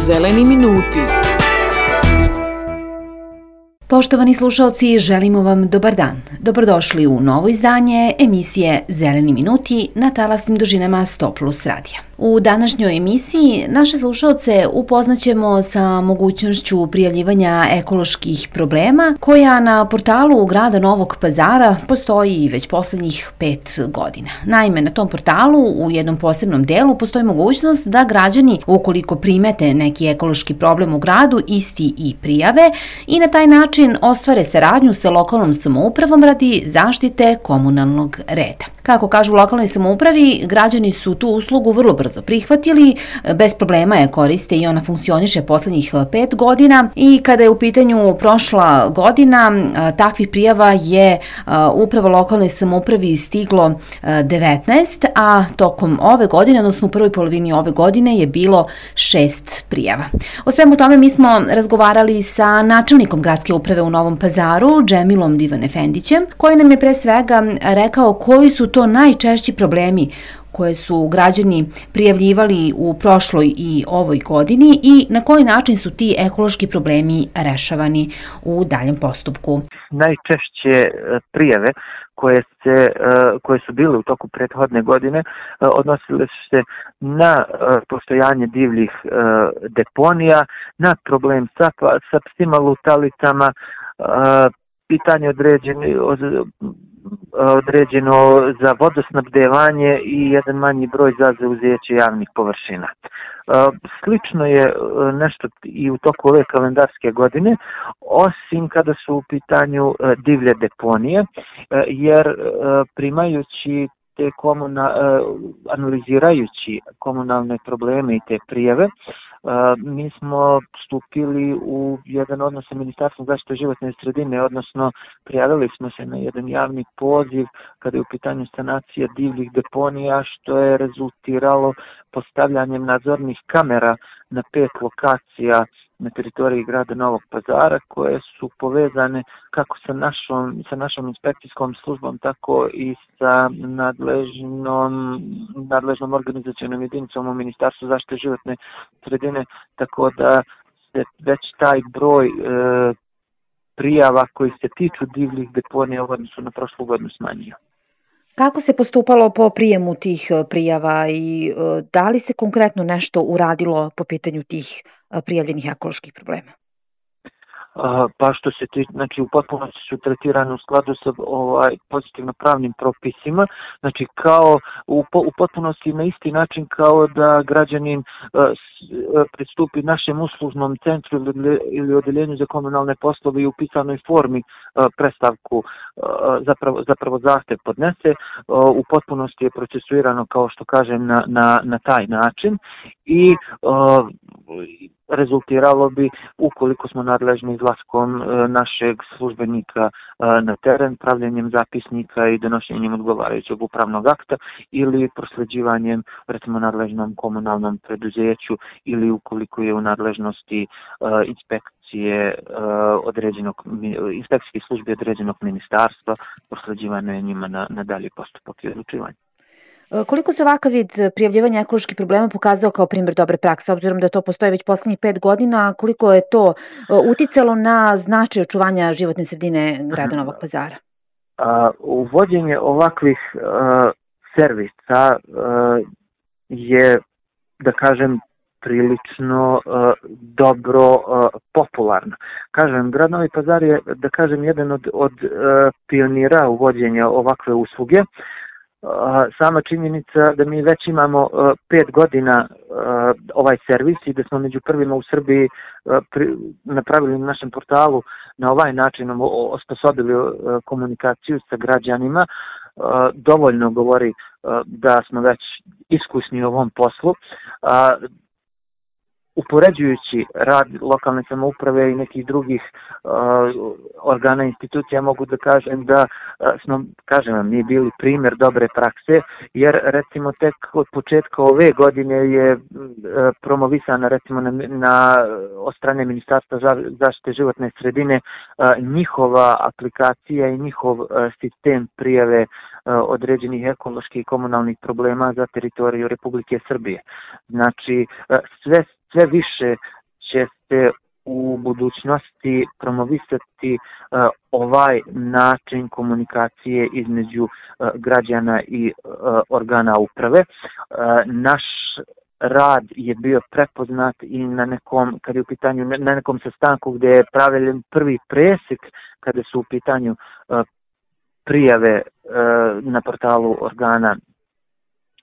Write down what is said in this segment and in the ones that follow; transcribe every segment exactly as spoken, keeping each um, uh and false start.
Zeleni minuti. Poštovani slušalci, želimo vam dobar dan. Dobrodošli u novo izdanje emisije Zeleni minuti na talasnim dužinama sto plus radija. U današnjoj emisiji naše slušalce upoznaćemo sa mogućnošću prijavljivanja ekoloških problema koja na portalu grada Novog Pazara postoji već poslednjih pet godina. Naime, na tom portalu u jednom posebnom delu postoji mogućnost da građani, ukoliko primete neki ekološki problem u gradu, isti i prijave i na taj način ostvare saradnju sa lokalnom samoupravom radi zaštite komunalnog reda. Kako kažu u lokalnoj samoupravi, građani su tu uslugu vrlo brzo prihvatili, bez problema je koriste i ona funkcioniše poslednjih pet godina i kada je u pitanju prošla godina, takvih prijava je upravo lokalnoj samoupravi stiglo devetnaest, a tokom ove godine, odnosno u prvoj polovini ove godine je bilo šest prijava. O svemu tome mi smo razgovarali sa načelnikom gradske uprave u Novom Pazaru, Džemilom Divanefendićem, koji nam je pre svega rekao koji su to najčešći problemi koje su građani prijavljivali u prošloj i ovoj godini i na koji način su ti ekološki problemi rešavani u daljem postupku. Najčešće prijave koje, se, koje su bile u toku prethodne godine odnosile su se na postojanje divljih deponija, na problem sa, sa psima lutalicama, pitanje određeno, određeno za vodosnabdevanje i jedan manji broj za zauzeće javnih površina. Slično je nešto i u toku ove kalendarske godine, osim kada su u pitanju divlje deponije, jer primajući te komuna, analizirajući komunalne probleme i te prijave, mi smo stupili u jedan odnos sa Ministarstvom zaštite životne sredine, odnosno prijavili smo se na jedan javni poziv kada je u pitanju sanacija divljih deponija, što je rezultiralo postavljanjem nadzornih kamera na pet lokacija na teritoriji grada Novog Pazara, koje su povezane kako sa našom, sa našom inspekcijskom službom, tako i sa nadležnom, nadležnom organizacionom jedinicom u Ministarstvu zaštite životne sredine, tako da se već taj broj e, prijava koji se tiču divljih deponija u odnosu na prošlu godinu smanjio. Kako se postupalo po prijemu tih prijava i e, da li se konkretno nešto uradilo po pitanju tih prijavljenih ekoloških problema? Pa što se ti, znači u potpunosti su tretirane u skladu sa ovaj, pozitivno pravnim propisima, znači kao u, u potpunosti na isti način kao da građanin uh, pristupi našem uslužnom centru ili, ili odeljenju za komunalne poslove i u pisanoj formi uh, predstavku, uh, zapravo, zapravo zahtev podnese, uh, u potpunosti je procesuirano, kao što kažem, na, na, na taj način i uh, rezultiralo bi, ukoliko smo nadležni izlaskom našeg službenika na teren, pravljenjem zapisnika i donošenjem odgovarajućeg upravnog akta ili prosleđivanjem, recimo, nadležnom komunalnom preduzeću ili ukoliko je u nadležnosti inspekcije određenog, inspekcijske službe određenog ministarstva, prosleđivanje njima na, na dalji postupak i odlučivanje. Koliko se ovakav vid prijavljivanja ekoloških problema pokazao kao primjer dobre prakse, obzirom da to postoji već poslednjih pet godina, koliko je to uticalo na značaj očuvanja životne sredine grada Novog Pazara? Uvođenje ovakvih servisa je, da kažem, prilično dobro popularno. Kažem, grad Novi Pazar je, da kažem, jedan od, od pionira uvođenja ovakve usluge. Sama činjenica da mi već imamo pet godina ovaj servis i da smo među prvima u Srbiji napravili na našem portalu na ovaj način osposobili komunikaciju sa građanima, dovoljno govori da smo već iskusni u ovom poslu. Upoređujući rad lokalne samouprave i nekih drugih uh, organa i institucija, mogu da kažem da uh, smo, kažem vam, nije bili primjer dobre prakse, jer recimo tek od početka ove godine je uh, promovisana recimo na, na od strane Ministarstva zaštite životne sredine uh, njihova aplikacija i njihov uh, sistem prijave uh, određenih ekoloških i komunalnih problema za teritoriju Republike Srbije. Znači, uh, sve sve više će se u budućnosti promovisati uh, ovaj način komunikacije između uh, građana i uh, organa uprave. Uh, naš rad je bio prepoznat i na nekom, kad je u pitanju, na nekom sastanku gdje je pravljen prvi presjek kada su u pitanju uh, prijave uh, na portalu organa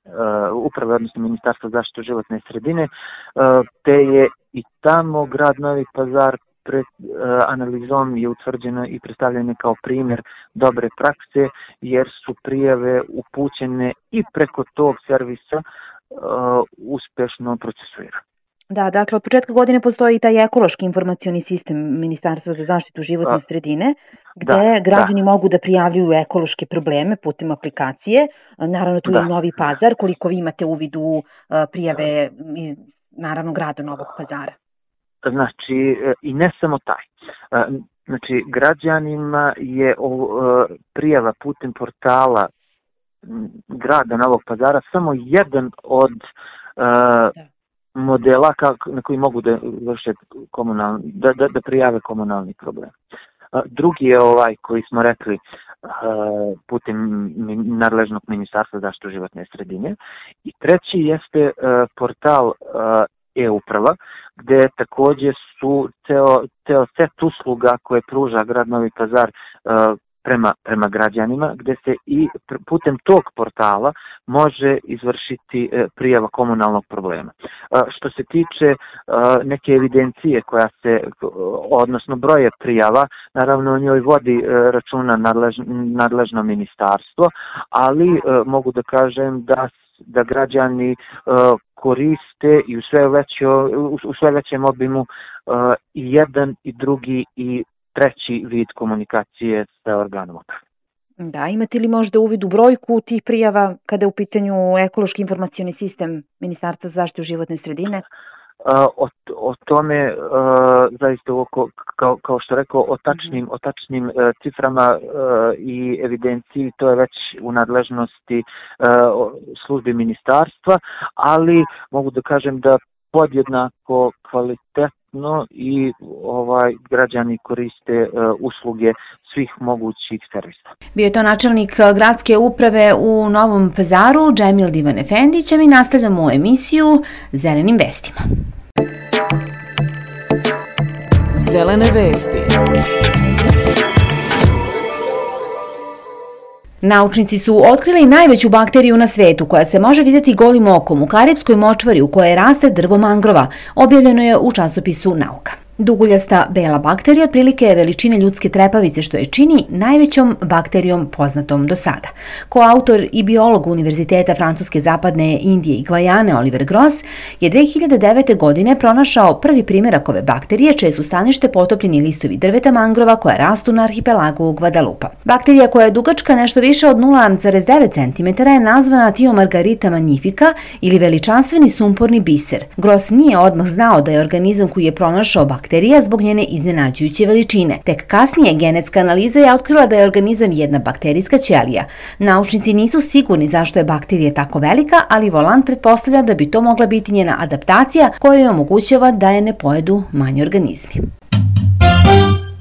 Uh, uprave, odnosno Ministarstva zaštite životne sredine, uh, te je i tamo grad Novi Pazar pred uh, analizom je utvrđeno i predstavljeno kao primjer dobre prakse, jer su prijave upućene i preko tog servisa uh, uspješno procesuirane. Da, dakle, od početka godine postoji i taj ekološki informacioni sistem Ministarstva za zaštitu životne sredine, gde da, građani da. mogu da prijavljuju ekološke probleme putem aplikacije. Naravno, tu da. je Novi Pazar, koliko vi imate uvid u prijave, naravno, grada Novog Pazara. Znači, i ne samo taj. Znači, građanima je prijava putem portala grada Novog Pazara samo jedan od da. modela kako, na koji mogu da vrše komunalni, da, da, da prijave komunalni problem. Drugi je ovaj koji smo rekli putem nadležnog Ministarstva zaštite životne sredine. I treći jeste portal e-uprava, gdje također su ceo, ceo set usluga koje pruža grad Novi Pazar prema, prema građanima, gdje se i putem tog portala može izvršiti prijava komunalnog problema. Što se tiče neke evidencije koja se, odnosno broje prijava, naravno o njoj vodi računa nadležno, nadležno ministarstvo, ali mogu da kažem da da građani uh, koriste i u sve, većo, u sve većem obimu uh, i jedan i drugi i treći vid komunikacije sa organom uprave. Da, imate li možda uvid u brojku tih prijava kada je u pitanju ekološki informacioni sistem Ministarstva za zaštitu životne sredine? Uh, o, o tome, uh, zaista oko, kao, kao što rekao, o tačnim, mm-hmm. o tačnim uh, ciframa uh, i evidenciji, to je već u nadležnosti uh, službi ministarstva, ali mogu da kažem da podjednako kvalitetno i ovaj građani koriste uh, usluge svih mogućih servisa. Bio je to načelnik gradske uprave u Novom Pazaru, Džemil Divan Efendić, a mi nastavljamo emisiju Zelenim vestima. Zelene vesti. Naučnici su otkrili najveću bakteriju na svetu koja se može vidjeti golim okom u Karipskoj močvari u kojoj raste drvo mangrova, objavljeno je u časopisu Nauka. Duguljasta bela bakterija otprilike je veličine ljudske trepavice, što je čini najvećom bakterijom poznatom do sada. Koautor i biolog Univerziteta Francuske zapadne Indije i Gvajane Oliver Gross je dve hiljade devete. godine pronašao prvi primjerak ove bakterije, čije su stanište potopljeni listovi drveta mangrova koja rastu na arhipelagu Guadalupa. Bakterija koja je dugačka nešto više od nula zarez devet centimetara je nazvana Thiomargarita magnifica ili veličanstveni sumporni biser. Gross nije odmah znao da je organizam koji je pronašao bakteriju zbog njene iznenađujuće veličine. Tek kasnije genetska analiza je otkrila da je organizam jedna bakterijska ćelija. Naučnici nisu sigurni zašto je bakterija tako velika, ali Volant pretpostavlja da bi to mogla biti njena adaptacija koja joj omogućava da je ne pojedu manji organizmi.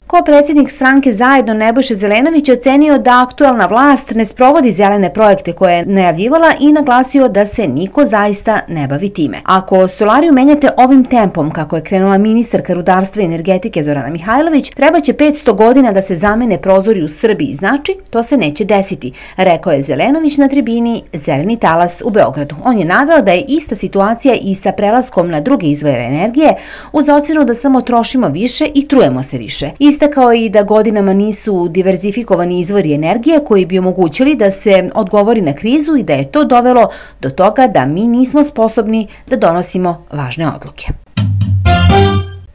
Ko predsjednik stranke Zajedno Nebojša Zelenović je ocenio da aktuelna vlast ne sprovodi zelene projekte koje je najavljivala i naglasio da se niko zaista ne bavi time. Ako solariju menjate ovim tempom, kako je krenula ministarka rudarstva i energetike Zorana Mihajlović, treba će petsto godina da se zamene prozori u Srbiji, znači to se neće desiti, rekao je Zelenović na tribini Zeleni talas u Beogradu. On je naveo da je ista situacija i sa prelaskom na druge izvore energije, uz ocenu da samo trošimo više i trujemo se više. Istakao i da godinama nisu diverzifikovani izvori energije koji bi omogućili da se odgovori na krizu i da je to dovelo do toga da mi nismo sposobni da donosimo važne odluke.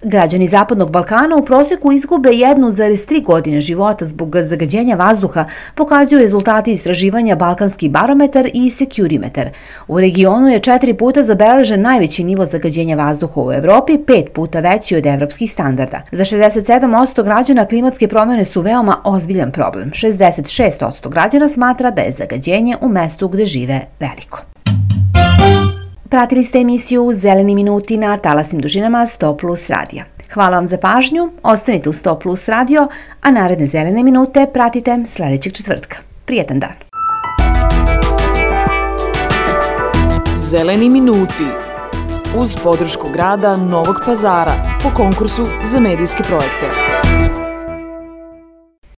Građani Zapadnog Balkana u prosjeku izgube jednu zarez tri godine života zbog zagađenja vazduha, pokazuju rezultati istraživanja Balkanski barometar i Securimetar. U regionu je četiri puta zabeležen najveći nivo zagađenja vazduha u Evropi, pet puta veći od evropskih standarda. Za šezdeset sedam posto građana klimatske promjene su veoma ozbiljan problem. šezdeset šest posto građana smatra da je zagađenje u mestu gde žive veliko. Pratili ste emisiju Zeleni minuti na talasnim dužinama sto plus radija. Hvala vam za pažnju, ostanite u sto plus radio, a naredne Zelene minute pratite sledećeg četvrtka. Prijetan dan. Zeleni minuti uz podršku grada Novog Pazara po konkursu za medijske projekte.